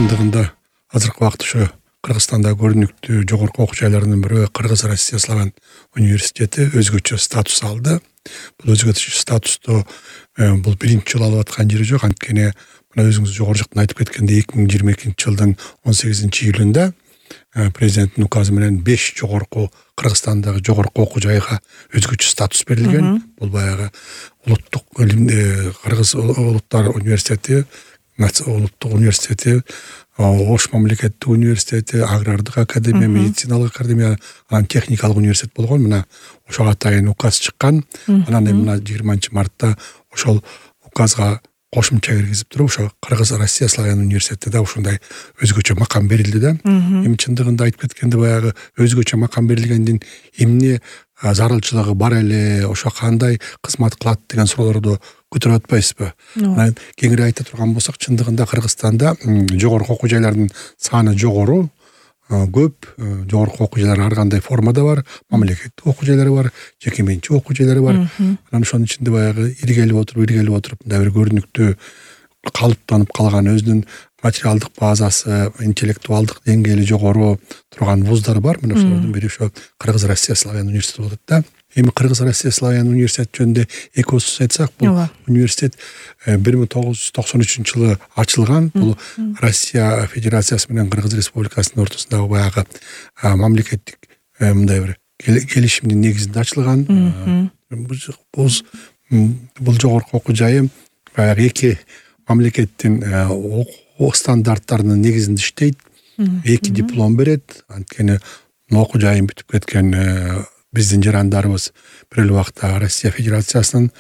чындыгында азыркы убакытта ошо Кыргызстанда көрүнүктүү жогорку окуу жайларынын бири Кыргыз Россия Славян университети өзгөчө статус алды. Бул өзгөчө статусту бул биринчи жолу алып аткан жери жок. Анткени мына өзүңүз жогору жактан айтып кеткендей 2022 жылдын 18-июлунда президенттин указы менен 5 жогорку Кыргызстандагы жогорку окуу жайга өзгөчө статус берилген. Бул баягы улуттук Кыргыз улуттар университети, улуттук университети, Ош мамлекеттик университети, агрардык академия, медициналык академия, анан техникалык университет болгон. Мына ошого атайын указ чыккан. Анан мына 20-мартта ошол указга кошумча киргизип туруп, ошо Кыргыз Россия Славян университетте да ушундай өзгөчө макам берилди да. Эми чындыгында айтып кеткенде баягы өзгөчө макам берилгендин эмне зарылчылыгы бар эле, ошо кандай кызмат кылат деген суроолорду көтөрүп атпайсызбы? Анан кеңири айта турган болсок, чындыгында Кыргызстанда жогорку окуу жайлардын саны жогору, көп жогорку окуу жайлар ар кандай формада бар, мамлекеттик окуу жайлары бар, жеке менчик окуу жайлары бар. Анан ошонун ичинде баягы иргелип отуруп мындай бир көрүнүктүү калыптанып калган өзүнүн материалдык базасы, интеллектуалдык деңгээли жогору турган вуздар бар. Мына ошолордун бири ошо Кыргыз Россия Славян университети болот да. Эми Кыргыз Россия Славян университети жөнүндө эки сөз айтсак, бул университет 1993 жылы ачылган. Бул Россия Федерациясы менен Кыргыз Республикасынын ортосундагы баягы мамлекеттик мындай бир келишимдин негизинде ачылган. Бул жогорку окуу жайы баягы эки мамлекеттин окуу стандарттарынын негизинде иштейт. Эки диплом берет. Анткени окуу жайын бүтүп кеткен биздин жарандарыбыз бир эле убакта Россия Федерациясынын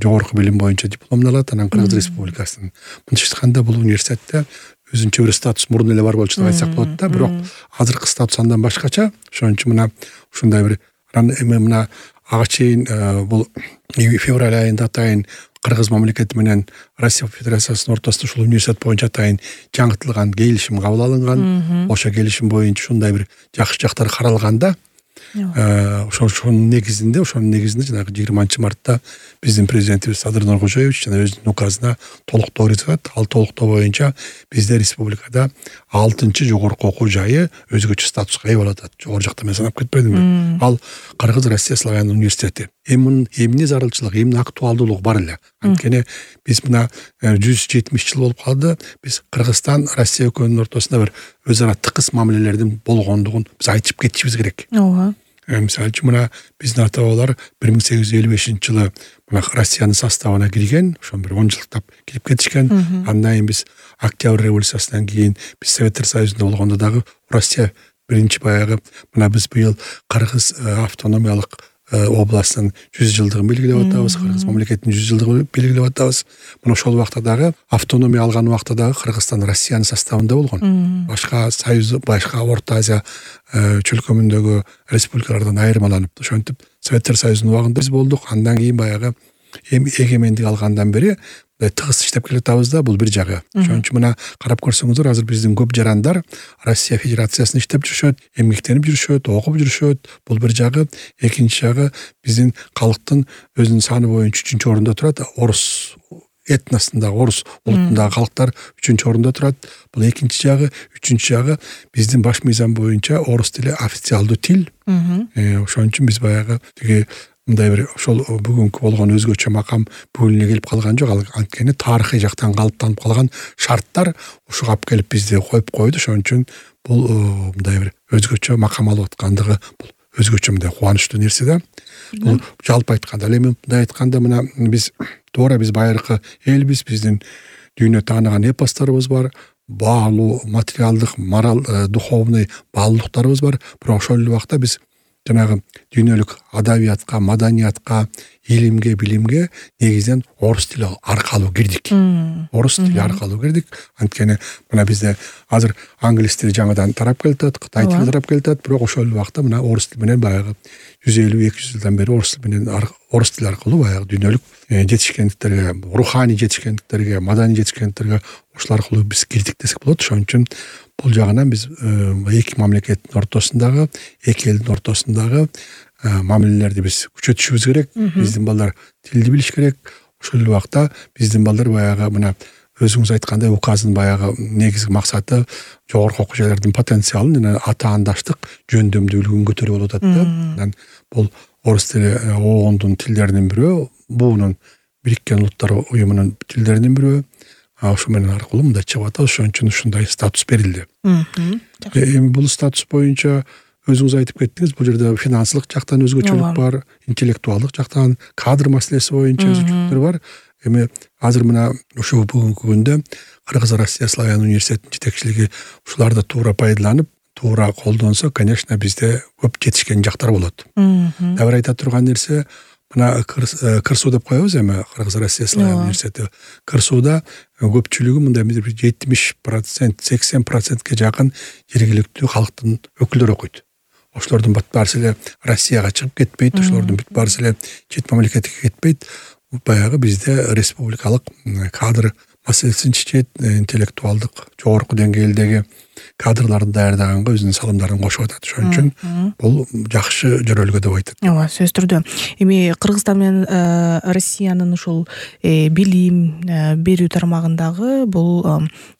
жогорку билим боюнча дипломун алат, анан Кыргыз Республикасынын. Мынтип айтканда бул университетте өзүнчө бир статус мурун эле бар болчу деп айтсак болот да. Бирок азыркы статус андан башкача. Ошон үчүн мына ушундай бир эми мына ага чейин бул февраль айында атайын Кыргыз мамлекети менен Россия Федерациясынын ортосунда ушул университет боюнча атайын жаңыртылган келишим кабыл алынган. Ошо келишим боюнча ушундай бир жакшы жактары каралган да. Ошонун негизинде жанагы 20-мартта биздин президентибиз Садыр Нуркожоевич жана өзүнүн указына толуктоо киргизет. Ал толуктоо боюнча бизде республикада 6-чы жогорку окуу жайы өзгөчө статуска ээ болуп атат. Жогору жакта мен санап кетпедимби? Ал Кыргыз Россия Славян университети. Эми эмне зарылчылык, эмне актуалдуулугу бар эле. Анткени биз мына 170 жыл болуп калды. Биз Кыргызстан, Россия экөөнүн ортосунда бир өз ара тыкыз мамилелердин болгондугун биз айтып кетишибиз керек. Мисалы үчүн мына биздин ата бабалар 1855 жылы мына Россиянын составына кирген, ошон бир 10 жылдап кирип кетишкен. Андан кийин биз Октябрь революциясынан кийин биз Советтер Союзунда болгондо дагы Россия биринчи баягы мына биз быйыл Кыргыз автономиялык областынын 100 жылдыгын белгилеп атабыз, Кыргыз мамлекетинин 100 жылдыгын белгилеп атабыз. Мына ошол убакта дагы автономия алган убакта дагы Кыргызстан Россиянын составында болгон. Башка союз, башка Орто Азия чөлкөмүндөгү республикалардан айырмаланып, ошентип Советтер Союзунун убагында биз болдук. Андан кийин баягы эгемендик алгандан бери тыгыз иштеп келатабыз да, бул бир жагы. Ошон үчүн мына карап көрсөңүздөр, азыр биздин көп жарандар Россия Федерациясында иштеп жүрүшөт, эмгектенип жүрүшөт, окуп жүрүшөт. Бул бир жагы. Экинчи жагы биздин калктын өзүнүн саны боюнча 3-чү орунда турат. Орус этносундагы, орус улутундагы калктар 3-чү орунда турат. Бул экинчи жагы. Үчүнчү жагы биздин баш мыйзам боюнча орус тили официалдуу тил. Ошон үчүн биз баягы тиги мындай бир ошол бүгүнкү болгон өзгөчө макам бүгүн эле келип калган жок. Анткени тарыхый жактан калыптанып калган шарттар ушуга алып келип бизди коюп койду. Ошон үчүн бул мындай бир өзгөчө макам алып аткандыгы бул өзгөчө мындай кубанычтуу нерсе да. Бул жалпы айтканда. Эми мындай айтканда мына биз туура биз байыркы элбиз, биздин дүйнө тааныган эпосторубуз бар, баалуу материалдык, мораль, духовный баалуулуктарыбыз бар. Бирок ошол эле убакта биз жанагы дүйнөлүк адабиятка, маданиятка, илимге, билимге негизинен орус тили аркылуу кирдик. Орус тили аркылуу кирдик. Анткени мына бизде азыр англис тили жаңыдан тарап келатат, кытай тили тарап келатат, бирок ошол эле убакта мына орус тили менен баягы 150-200 жылдан бери орус тили аркылуу баягы дүйнөлүк жетишкендиктерге, руханий жетишкендиктерге, маданий жетишкендиктерге ошол аркылуу биз кирдик десек болот. Ошон үчүн бул жагынан биз эки мамлекеттин ортосундагы, эки элдин ортосундагы мамилелерди биз күчөтүшүбүз керек. Биздин балдар тилди билиш керек. Ошол эле убакта биздин балдар баягы мына өзүңүз айткандай указдын баягы негизги максаты жогорку окуу жайлардын потенциалын жана атаандаштык жөндөмдүүлүгүн көтөрүү болуп атат да. Анан бул орус тили оондун тилдеринин бирөө, буунун Бириккен Улуттар уюмунун тилдеринин бирөө. Ошо менен аркылуу мындай чыгып атат. Ошон үчүн ушундай статус берилди. Эми бул статус боюнча өзүңүз айтып кеттиңиз, бул жерде финансылык жактан өзгөчөлүк бар, интеллектуалдык жактан, кадр маселеси боюнча өзгөчөлүктөр бар. Эми азыр мына ошо бүгүнкү күндө Кыргыз Россия славян университетинин жетекчилиги ушуларды туура пайдаланып, туура колдонсо, конечно, бизде көп жетишкен жактар болот. Дагы бир айта турган нерсе, мына КырСУ деп коебуз эми, Кыргыз Россия славян университети. КырСУда көпчүлүгү мындай 70%, 80%ке жакын жергиликтүү калктын өкүлдөрү окуйт. Ошолордун бүт баарысы эле Россияга чыгып кетпейт, ошолордун бүт баарысы эле чет мамлекетке кетпейт. Баягы бизде республикалык кадр маселесин чечет, интеллектуалдык жогорку деңгээлдеги кадрларды даярдаганга өзүнүн салымдарын кошуп атат. Ошон үчүн бул жакшы жөрөлгө деп айтат. Ооба, сөзсүз түрдө. Эми Кыргызстан менен Россиянын ушул билим берүү тармагындагы бул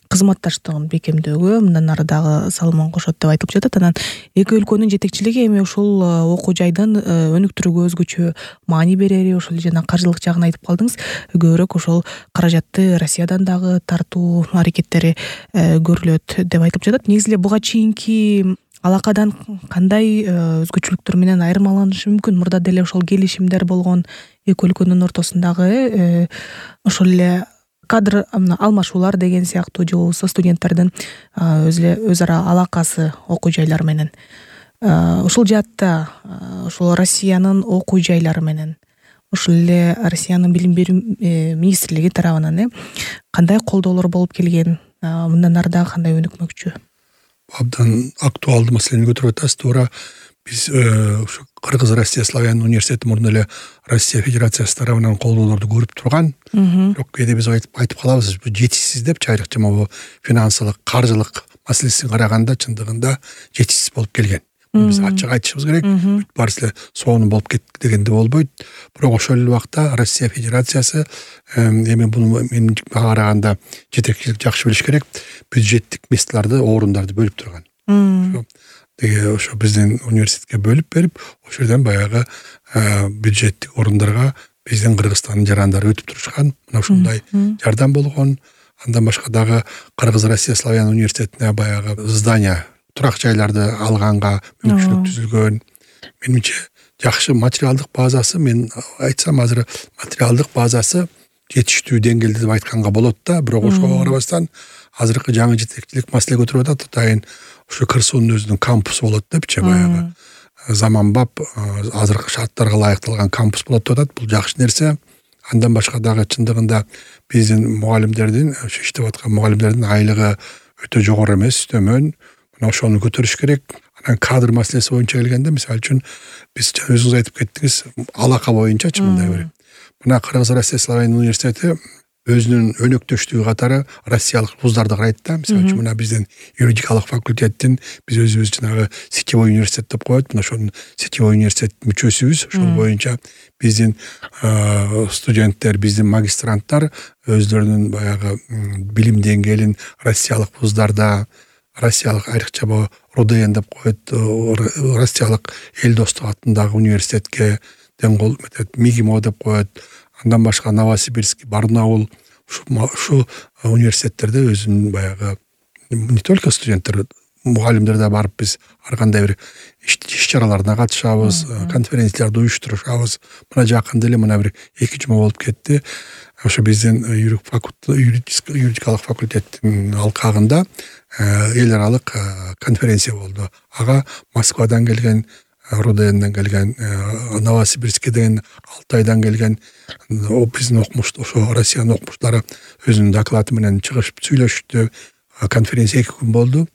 кызматташтыгын бекемдөөгө мындан ары дагы салымын кошот деп айтылып жатат. Анан эки өлкөнүн жетекчилиги эми ушул окуу жайдын өнүктүрүүгө өзгөчө маани берери, ошол жана каржылык жагын айтып калдыңыз. Көбүрөөк ошол каражатты Россиядан дагы тартуу аракеттери көрүлөт деп айтылып жатат. Негизи эле буга чейинки алакадан кандай өзгөчөлүктөр менен айырмаланышы мүмкүн? Мурда деле ошол келишимдер болгон эки өлкөнүн ортосундагы ошол эле кадр алмашуулар деген сыяктуу, же болбосо студенттердин өз ара алакасы окуу жайлар менен. Ушул жаатта ошол Россиянын окуу жайлары менен, ошол эле Россиянын билим берүү министрлиги тарабынан кандай колдоолор болуп келген, мындан ары дагы кандай өнүкмөкчү? Абдан актуалдуу маселени көтөрүп атасыз. Туура биз ушу Кыргыз Россия славян университети мурун эле Россия Федерациясы тарабынан колдоолорду көрүп турган. Бирок кээде биз айтып калабыз, бул жетишсиз депчи, айрыкча могу финансылык, каржылык маселесин караганда чындыгында жетишсиз болуп келген. Биз ачык айтышыбыз керек. Бүт баарысы эле сонун болуп кетти дегенде болбойт. Бирок ошол эле убакта Россия Федерациясы эми буну мен караганда жетекчилик жакшы билиш керек, бюджеттик месталарды, орундарды бөлүп турган. Ошо биздин университетке бөлүп берип, ошол жерден баягы бюджеттик орундарга биздин Кыргызстандын жарандары өтүп турушкан. Мына ошондой жардам болгон. Андан башка дагы Кыргыз Россия славян университетине баягы здания, турак жайларды алганга мүмкүнчүлүк түзүлгөн. Менимче жакшы материалдык базасы, мен айтсам азыр материалдык базасы жетиштүү деңгээлде деп айтканга болот да. Бирок ошого карабастан азыркы жаңы жетекчилик маселе көтөрүп атат. Атайын ушу КырСУнун өзүнүн кампусу болот депчи, баягы заманбап азыркы шарттарга ылайыкталган кампус болот деп атат. Бул жакшы нерсе. Андан башка дагы чындыгында биздин мугалимдердин, иштеп аткан мугалимдердин айлыгы өтө жогору эмес, төмөн. Мына ошону көтөрүш керек. Анан кадр маселеси боюнча келгенде, мисалы үчүн биз өзүңүз айтып кеттиңиз, алака боюнчачы мындай бир. Мына Кыргыз Россия славян университети өзүнүн өнөктөштүгү катары россиялык вуздарды карайт да. Мисалы үчүн мына биздин юридикалык факультеттин биз өзүбүз жанагы сетевой университет деп коет. Мына ошонун сетевой университет мүчөсүбүз. Ошол боюнча биздин студенттер, биздин магистранттар өзлөрүнүн баягы билим деңгээлин россиялык вуздарда, россиялык айрыкча РУДН деп коет, россиялык эл достук атындагы университетке деңгол МИГИМО деп коет. Андан башка Новосибирск, Барнаул, ушу университеттерде өзүнүн баягы не только студенттер, мугалимдер да барып биз ар кандай бир иш-чараларына катышабыз, конференцияларды уюштурушабыз. Мына жакында эле мына бир 2 жума болуп кетти. Ошо биздин юридикалык факультеттин алкагында эл аралык конференция болду. Ага Москвадан келген, РУДНден келген, Новосибирскеден, Алтайдан келген биздин окумуштар, ошо Россиянын окумуштары өзүнүн доклады менен чыгышып сүйлөштү. Конференция 2 күн болду.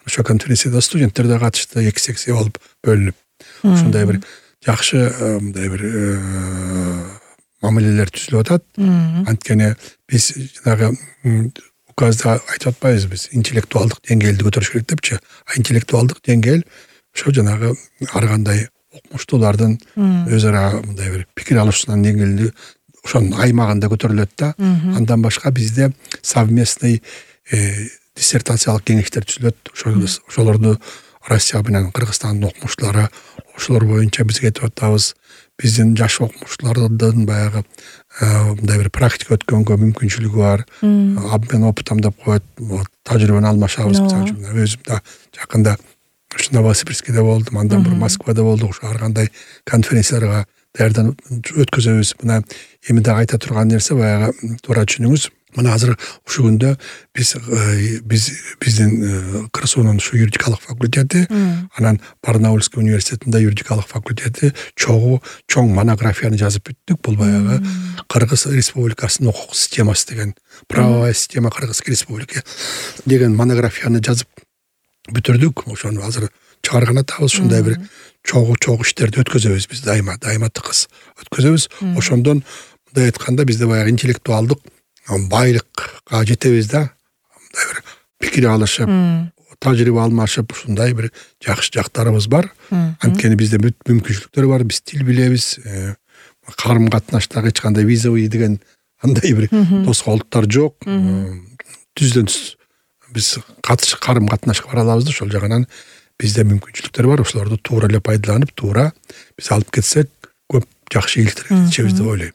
Ошо конференцияда студенттер да катышты, 2 секция болуп бөлүнүп. Ошондой бир жакшы мындай бир мамилелер түзүлүп атат. Анткени биз жанагы указда айтып атпайбыз, биз интеллектуалдык деңгээлди көтөрүш керек депчи. Интеллектуалдык деңгээл ошо жанагы ар кандай окумуштуулардын өз ара мындай бир пикир алышуунан деңгээлди ошонун аймагында көтөрүлөт да. Андан башка бизде совместный диссертациялык кеңештер түзүлөт. Ошолорду Россия менен Кыргызстандын окумуштуулары ошолор боюнча биз кетип атабыз. Биздин жаш окумуштуулардын баягы мындай бир практика өткөнгө мүмкүнчүлүгү бар. Обмен опытом деп коет. Тажрыйбаны алмашабыз. Өзүм да жакында ушу Новосибирскиде болдум, андан бир Москвада болдук. Ошо ар кандай конференцияларга даярданып өткөзөбүз. Мына эми дагы айта турган нерсе баягы туура түшүнүңүз. Мына азыр ушул күндө биздин КРСУнун ушу юридикалык факультети, анан Барнаульский университетинде юридикалык факультети чоң монографияны жазып бүттүк. Бул баягы Кыргыз Республикасынын укук системасы деген, правовая система Кыргызской республики деген монографияны жазып бүтүрдүк. Ошону азыр чыгарган атабыз. Ушундай бир чогуу иштерди өткөзөбүз биз дайыма тыкыз өткөзөбүз. Ошондон мындай айтканда бизде баягы интеллектуалдык байлыкка жетебиз да. Мындай бир пикир алышып, тажрыйба алмашып, ушундай бир жакшы жактарыбыз бар. Анткени бизде мүмкүнчүлүктөр бар, биз тил билебиз, карым катнаштагы эч кандай визовый деген андай бир тоскоолдуктар жок. Түздөн түз биз карым катнашка бара алабыз да. Ошол жагынан бизде мүмкүнчүлүктөр бар. Ошолорду туура эле пайдаланып, туура биз алып кетсек, көп жакшы ийгиликтерге жетишебиз деп ойлойм.